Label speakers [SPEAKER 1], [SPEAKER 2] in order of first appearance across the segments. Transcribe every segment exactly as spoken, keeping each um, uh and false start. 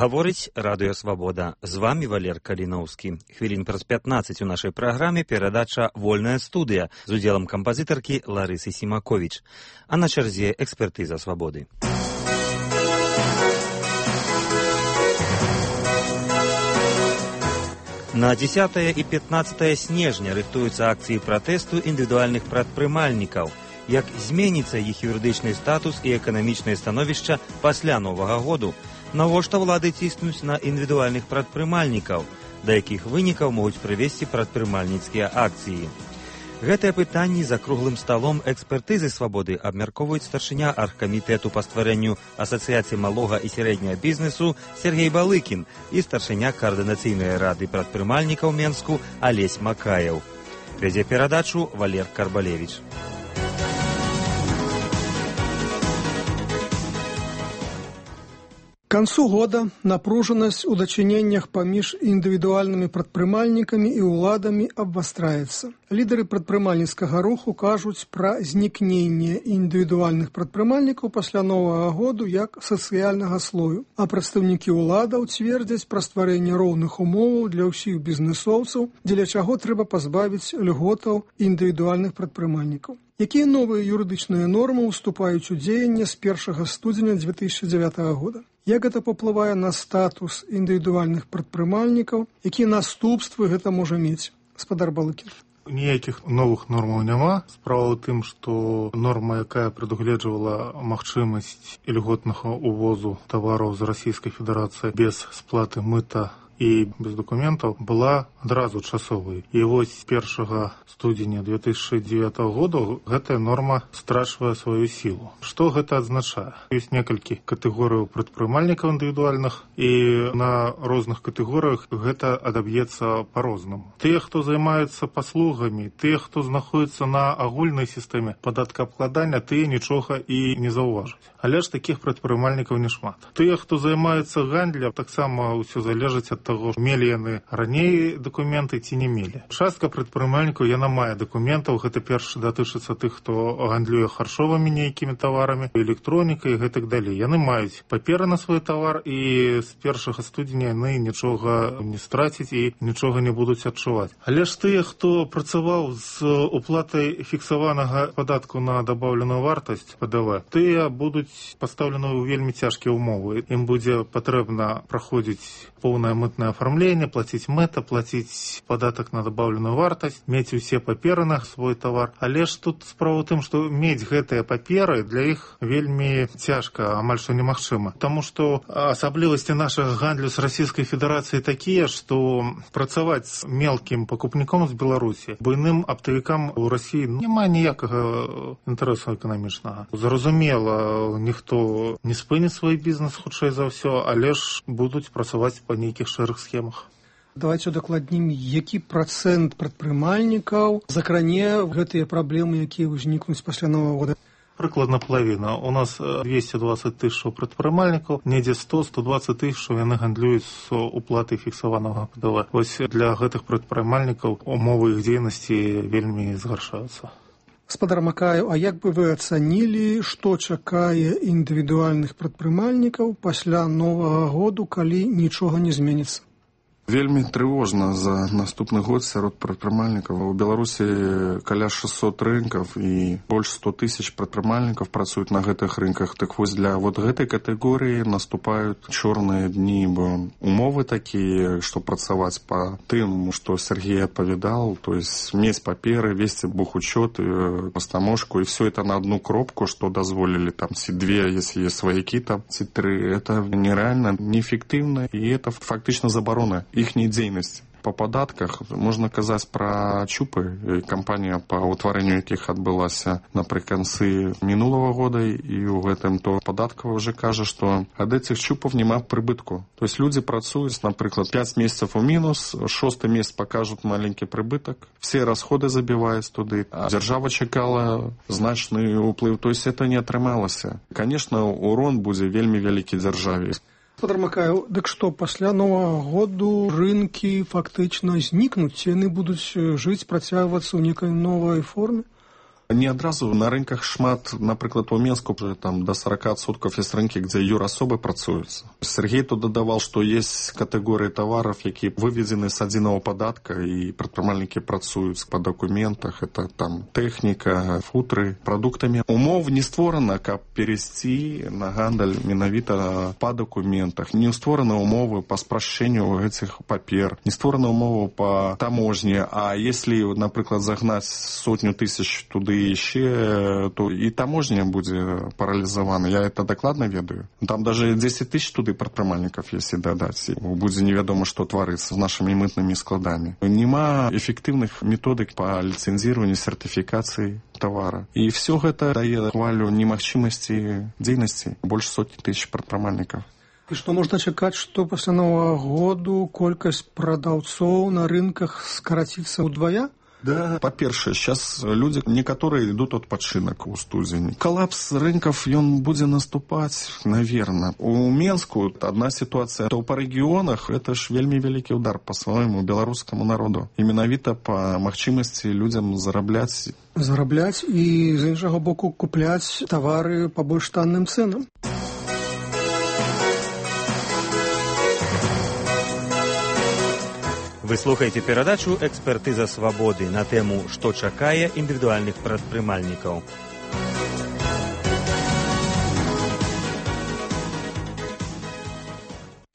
[SPEAKER 1] Гаворыць Радыё Свабода. З вамі Валер Каліноўскі. Хвілін праз пятнаццаць у нашай праграме перадача «Вольная студыя» з удзелам кампазітаркі Ларысы Сімаковіч. А на чарзе экспертыза Свабоды. На дзесятае і пятнаццатае снежня рыхтуюцца акцыі пратэсту індывідуальных прадпрымальнікаў. Як зменіцца іх юрыдычны статус і эканамічнае становішча пасля Новага году? Навошта ўлады ціснуць на індывідуальных прадпрымальнікаў? Да якіх вынікаў могуць прывесці прадпрымальніцкія акцыі? Гэтыя пытанні за круглым сталом экспертызы Свабоды абмяркоўваюць старшыня аргкамітэту па стварэнню Асацыяцыі малога і сярэдняга бізнесу Сергей Балыкін і старшыня каардынацыйнай рады прадпрымальнікаў Менску Алесь Макаеў. Вядзе перадачу Валер Карбалевіч.
[SPEAKER 2] К концу года напруженность у дачыненнях паміж індывідуальнымі прадпрымальнікамі і ўладамі абвастраецца. Лідары прадпрымальніцкага руху кажуць пра знікненне індывідуальных прадпрымальнікаў пасля Новага году як сацыяльнага слою, а прадстаўнікі ўладаў цвердзяць пра стварэнне роўных умоваў для ўсіх бізнесоўцаў, дзеля чаго трэба пазбавіць льготаў індывідуальных прадпрымальнікаў. Якія новыя юрыдычныя нормы ўступаюць у дзеянне з першага студзеня дзве тысячы дзявятага года? Як гэта паўплывае на статус індывідуальных прадпрымальнікаў? Якія наступствы гэта можа мець? Гаспадар Балыкін.
[SPEAKER 3] Ніякіх новых нормаў няма. Справа ў тым, што норма, якая прадугледжвала магчымасць ільготнага увозу тавараў з Расійскай Федэрацыі без сплаты мыта і без дакументаў, была адразу часовай. І вось першага студзеня дзве тысячы дзевятага года гэтая норма страчвае сваю сілу. Што гэта азначае? Ёсць некалькі катэгорыяў прадпрымальнікаў індывідуальных, і на розных катэгорыях гэта адаб'ецца па-рознаму. Тыя, хто займаюцца паслугамі, тыя, хто знаходзіцца на агульнай сістэме падаткаабкладання, тыя нічога і не заўважаць. Але ж такіх прадпрымальнікаў нешмат. Тыя, хто займаюцца гандлем, таксама ўсё залежыць ад таго, мелі яны раней дакументы ці не мелі. Частка прадпрымальнікаў яна мае дакументаў, гэта перш датычыцца тых, хто гандлюе харчовымі нейкімі таварамі, электронікай і гэтак далей. Яны маюць паперы на свой тавар, і з першага студзеня яны нічога не страцяць і нічога не будуць адчуваць. Але ж тыя, хто працаваў з уплатай фіксаванага падатку на дабаўленую вартасць Пэ Дэ Вэ, тыя будуць пастаўлены ў вельмі цяжкія ўмовы. Ім будзе патрэбна праходзіць поўнае мытнае афармленне, плаціць мэта, плаціць падатак на дабаўленую вартасць, мець усе паперы на свой тавар. Але ж тут справа ў тым, што мець гэтыя паперы для іх вельмі цяжка, амаль што немагчыма. Таму што асаблівасці нашага гандлю з Расійскай Федэрацыі такія, што працаваць з мелкім пакупніком з Беларусі буйным аптавікам у Расіі няма ніякага інтарэсу эканамічнага. Зразумела, ніхто не спыніць свой бізнес хутчэй за ўсё, але ж будуць працаваць па нейкіх шэрых схемах.
[SPEAKER 2] Давайте удакладнім, які працэнт прадпрымальнікаў закране гэтыя праблемы, якія ўзнікнуць пасля Новага года?
[SPEAKER 3] Прыкладна палавіна. У нас двесце дваццаць тысяч прадпрымальнікаў, недзе сто - сто дваццаць тысяч яны гандлююць з уплатай фіксаванага Пэ Дэ Вэ. Вось для гэтых прадпрымальнікаў умовы іх дзейнасці вельмі згаршаюцца.
[SPEAKER 2] Гаспадар Макаеў, а як бы вы ацанілі, што чакае індывідуальных прадпрымальнікаў пасля Новага году, калі нічога не зменіцца?
[SPEAKER 4] Вельмі трывожна за наступны год сярод прадпрымальнікаў. У Беларусі каля шэсцьсот рынкаў і больш сто тысяч прадпрымальнікаў працуюць на гэтых рынках. Так вось для вот гэтай катэгорыі наступаюць чорныя дні, бо умовы такія, што працаваць па тым, што Сергей адпавядал, то есть мець паперы, весці бухучёт, пастамошку, і все это на одну кропку, што дазволілі там ці две, если есть сваякі там, ці тры. Это нереально, неэффектыўна, і это фактычна забарона іхняй дзейнасці. Па падатках можна казаць пра чупы, кампанія па ўтварэнню якіх адбылася напрыканцы мінулага года, і ў гэтым то падаткава ўжо кажа, што ад этих чупаў няма прыбытку. То есть людзі працуюць, напрыклад, пяць месяцаў у мінус, шосты месяц пакажуць маленькі прыбытак, все расходы забіваюць туды, а дзяржава чакала значны ўплыў, то есть это не атрымалася. Конечно, урон будзе вельмі вялікі дзяржаве.
[SPEAKER 2] Гаспадар Макаеў, дык што, пасля Новага году рынкі фактычна знікнуць, яны будуць жыць, працягвацца ў некай новай форме?
[SPEAKER 4] Не адразу на рынках шмат, напрыклад, у Менску там до сорок процентов есть рынки, где юрасобы працуюцца. Сергей тут дадавал, что есть категории товаров, якія выведены с адзінага падатка, и прадпрымальнікі працуюць по документах. Это там техника, футры, продуктами. Умов не створана, каб перейти на гандаль менавіта по документах. Не створаны умовы по спрашчэнню этих папер. Не створаны умовы по таможне. А если, напрыклад, загнать сотню тысяч туды еще, то и таможня будет парализована. Я это докладно ведаю. Там даже десять тысяч туды прадпрымальнікаў, если дадать. Будет неведомо, что творится с нашими мытными складами. Нема эффективных методик по лицензированию, сертификации товара. И все это дает хвалю немагчымасці дзейнасці больше сотни тысяч прадпрымальнікаў.
[SPEAKER 2] І што можна чакаць, што пасля Новага году колькасць прадаўцоў на рынках скараціцца ўдвая?
[SPEAKER 4] Да, по-першае, сейчас люди некоторые идут адпачынак у студзені. Коллапс рынков, он будет наступать, наверное. У Менску одна ситуация, то по регионах это ж вельмі великий удар по своему белорусскому народу. И менавіта по магчымасці людям зарабляць.
[SPEAKER 2] Зарабляць і, з іншага боку, купляць товары по больш танным ценам.
[SPEAKER 1] Вы слухаеце перадачу «Экспертыза свабоды» на тэму «Што чакае індывідуальных прадпрымальнікаў».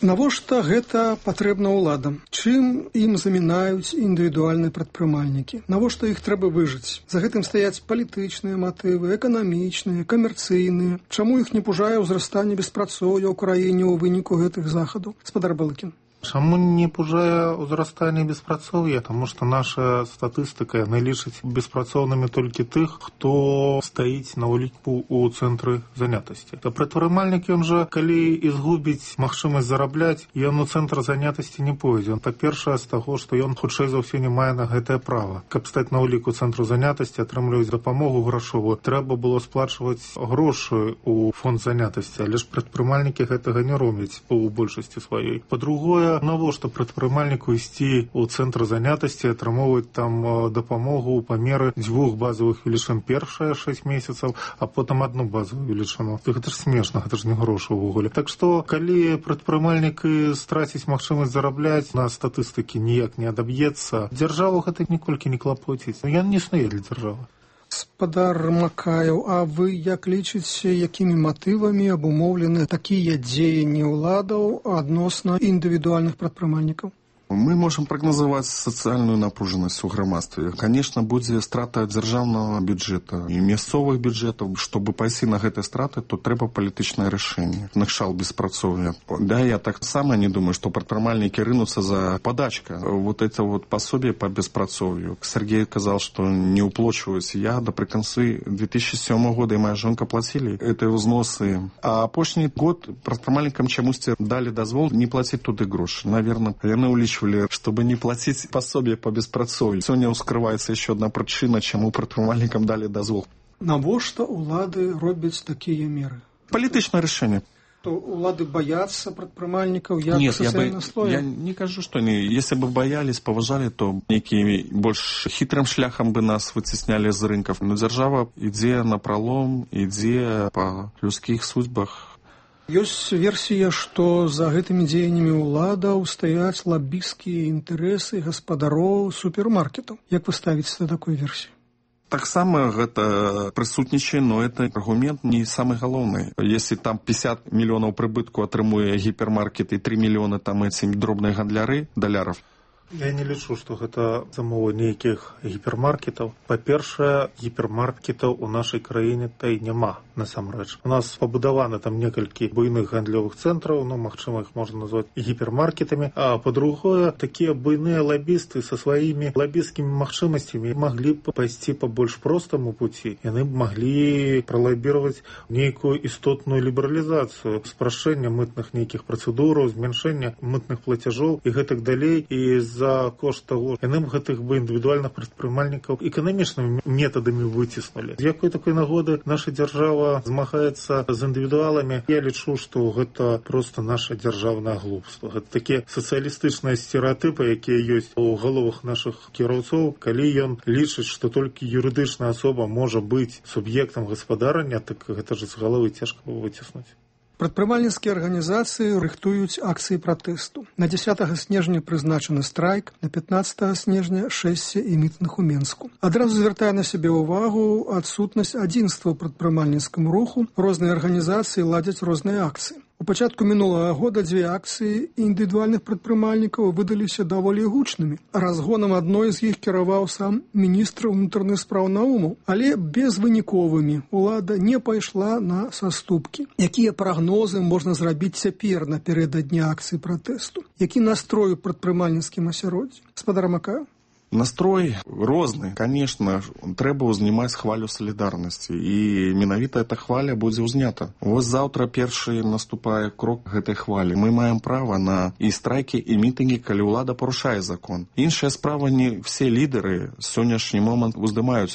[SPEAKER 2] Навошта гэта патрэбна ўладам? Чым ім замінаюць індывідуальныя прадпрымальнікі? Навошта іх трэба выжыць? За гэтым стаяць палітычныя матывы, эканамічныя, камерцыйныя. Чаму іх не пужае ўзрастанне беспрацоўя ў краіне ў выніку гэтых захадаў? Спадар Балыкін.
[SPEAKER 3] Чаму не пужае ўзрастанне беспрацоўя? Таму што наша статыстыка яна лічыць беспрацоўнымі толькі тых, хто стаіць на ўліку ў цэнтры занятасці. То прадпрымальнік ён жа, калі і згубіць магчымасць зарабляць, ён у цэнтр занятасці не пойдзе. Па-першае, з таго, што ён хутчэй за ўсё не мае на гэтае права. Каб стаць на ўліку цэнтру занятасці, атрымліваць дапамогу грашовую, трэба было сплачваць грошы ў фонд занятасці, але ж прадпрымальнікі гэтага не робяць у большасці сваёй. Па-другое, навошта прадпрымальніку ісці ў цэнтр занятасці, атрымоўваць там дапамогу ў памеры дзвюх базавых велічын першыя шэсць месяцаў, а потым адну базавую велічыну. Гэта ж смешна, гэта ж не грошы ўвогуле. Так што, калі прадпрымальнік страціць магчымасць зарабляць, на статыстыкі ніяк не адаб'ецца, дзяржаву гэта ніколькі не клапоціць. Ён не існуе для дзяржавы.
[SPEAKER 2] Спадар Макаеў, а вы як лічыце, якімі матывамі абумоўлены такія дзеянні ўладаў адносна індывідуальных прадпрымальнікаў?
[SPEAKER 4] Мы можем прогнозовать социальную напруженность у грамадстве. Конечно, будет страта дзяржаўнага бюджета и мясцовых бюджетов. Чтобы пайсці на гэтыя страты, то трэба палітычнае рашэнне. Накшал беспрацоўя. Да, я так само не думаю, что прадпрымальнікі рынутся за подачка. Вот это вот пособие по беспрацоўю. Сергей сказал, что не уплачиваюсь. Я напрыканцы две тысячи седьмого года и моя жонка платили эти взносы. А апошні год прадпрымальнікам чамусьці дали дазвол не платить туды грошы. Наверное, яны улічвалі, чтобы не платить пособие по беспрацоўю. Сегодня ускрывается еще одна причина, чему прадпрымальнікам дали дозвол.
[SPEAKER 2] Навошта улады робяць такія меры?
[SPEAKER 4] Палітычнае рашэнне.
[SPEAKER 2] То улады боятся прадпрымальнікаў як
[SPEAKER 4] Нет, я, бы,
[SPEAKER 2] слоя?
[SPEAKER 4] я не кажу, что они, если бы боялись, поважали, то некими больше хитрым шляхом бы нас вытесняли з рынков. Но держава ідзе на пролом, ідзе по людских судьбах.
[SPEAKER 2] Ёсць версія, што за гэтымі дзеяннямі ўладаў стаяць лабісцкія інтарэсы гаспадароў супермаркетаў. Як вы ставіце да такой версіі?
[SPEAKER 4] Таксама гэта прысутнічае, но это аргумент не самый галоўны. Если там пятьдесят миллионов прыбытку атрымуе гіпермаркет і три миллиона там эти дробныя гандляры даляров,
[SPEAKER 3] Я не лічу, што гэта замова нейкіх гіпермаркетаў. Па-першае, гіпермаркетаў у нашай краіне та і няма, насамрэч. У нас пабудаваны там некалькі буйных гандлёвых цэнтраў, ну, магчыма, іх можна назваць гіпермаркетамі. А па-другое, такія буйныя лабісты са сваімі лабісцкімі магчымасцямі маглі б пайсці па больш простаму пуці. Яны б маглі пралабіраваць нейкую істотную лібералізацыю, спрашчэння мытных нейкіх працэдураў, змяншэння мытных плацяжоў і гэтак далей. І з за кошт таго, яны б гэтых бы індывідуальных прадпрымальнікаў эканамічнымі метадамі выціснулі. З якой такой нагоды наша дзяржава змагаецца з індывідуаламі? Я лічу, што гэта проста наша дзяржаўнае глупства. Гэта такія сацыялістычныя стэрэатыпы, якія ёсць у галовах нашых кіроўцоў, калі ён лічыць, што толькі юрыдычная асоба можа быць суб'ектам гаспадарання, так гэта ж з галовы цяжка выціснуць.
[SPEAKER 2] Прадпрымальніцкія арганізацыі рыхтуюць акцыі пратэсту. На дзесятага снежня прызначаны страйк, на пятнаццатага снежня шэсце і мітынг у Менску. Адразу звяртае на сябе ўвагу адсутнасць адзінства ў прадпрымальніцкім руху. Розныя арганізацыі ладзяць розныя акцыі. У пачатку мінулага года дзве акцыі індывідуальных прадпрымальнікаў выдаліся даволі гучнымі. Разгонам адной з іх кіраваў сам міністр унутраных спраў Наумаў, але безвыніковымі. Улада не пайшла на саступкі. Якія прагнозы можна зрабіць цяпер напярэдадні акцыі пратэсту? Які настрой у прадпрымальніцкім асяроддзі? Гаспадар Макаеў?
[SPEAKER 4] Настрой розны. Конечно, трэба ўзнімаць хвалю салідарнасці, і менавіта эта хваля будзе ўзнята. Вось заўтра першы наступае крок гэтай хвалі. Мы маем права на і страйкі, і мітынгі, калі ўлада парушае закон. Іншая справа, не все лідары сённяшні момант уздымаюць